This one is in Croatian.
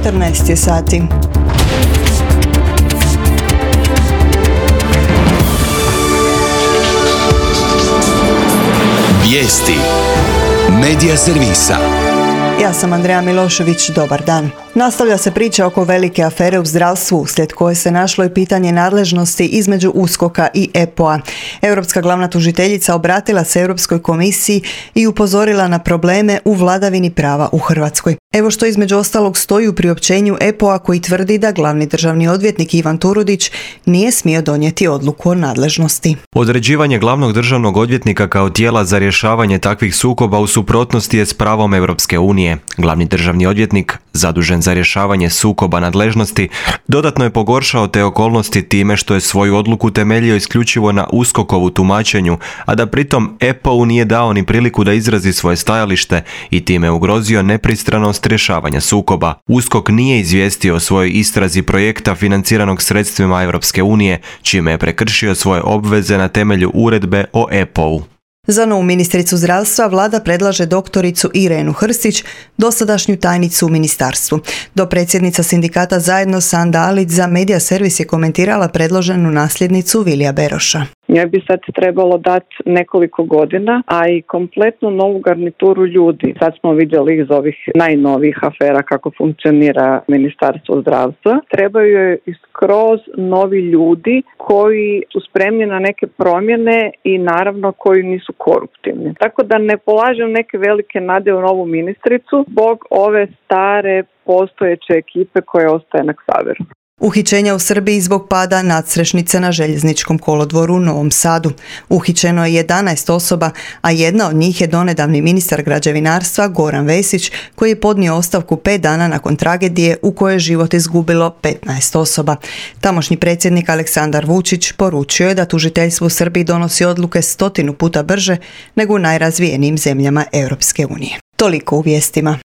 14 je sati. Vijesti Medija servisa. Ja sam Andreja Milošević, dobar dan. Nastavlja se priča oko velike afere u zdravstvu, uslijed koje se našlo i pitanje nadležnosti između USKOK-a i EPO-a. Europska glavna tužiteljica obratila se Europskoj komisiji i upozorila na probleme u vladavini prava u Hrvatskoj. Evo što između ostalog stoji u priopćenju EPO-a koji tvrdi da glavni državni odvjetnik Ivan Turudić nije smio donijeti odluku o nadležnosti. Određivanje glavnog državnog odvjetnika kao tijela za rješavanje takvih sukoba u suprotnosti je s pravom Europske unije. Glavni državni odvjetnik, zadužen za rješavanje sukoba nadležnosti, dodatno je pogoršao te okolnosti time što je svoju odluku temeljio isključivo na USKOK-ovu tumačenju, a da pritom EPO-u nije dao ni priliku da izrazi svoje stajalište i time ugrozio nepristranost rješavanja sukoba. USKOK nije izvijestio o svojoj istrazi projekta financiranog sredstvima Europske unije, čime je prekršio svoje obveze na temelju uredbe o EPO-u. Za novu ministricu zdravstva vlada predlaže doktoricu Irenu Hrstić, dosadašnju tajnicu u ministarstvu. Dopredsjednica sindikata Zajedno Sanda Alić za Medija servis je komentirala predloženu nasljednicu Vilija Beroša. Njoj bi sad trebalo dati nekoliko godina, a i kompletnu novu garnituru ljudi. Sad smo vidjeli iz ovih najnovijih afera kako funkcionira Ministarstvo zdravstva. Trebaju joj skroz novi ljudi koji su spremni na neke promjene i naravno koji nisu koruptivni. Tako da ne polažem neke velike nade u novu ministricu zbog ove stare postojeće ekipe koja ostaje na Ksaveru. Uhićenja u Srbiji zbog pada nadstrešnice na željezničkom kolodvoru u Novom Sadu. Uhićeno je 11 osoba, a jedna od njih je donedavni ministar građevinarstva Goran Vesić, koji je podnio ostavku 5 dana nakon tragedije u kojoj je život izgubilo 15 osoba. Tamošnji predsjednik Aleksandar Vučić poručio je da tužiteljstvo u Srbiji donosi odluke 100 puta brže nego u najrazvijenijim zemljama Europske unije. Toliko u vijestima.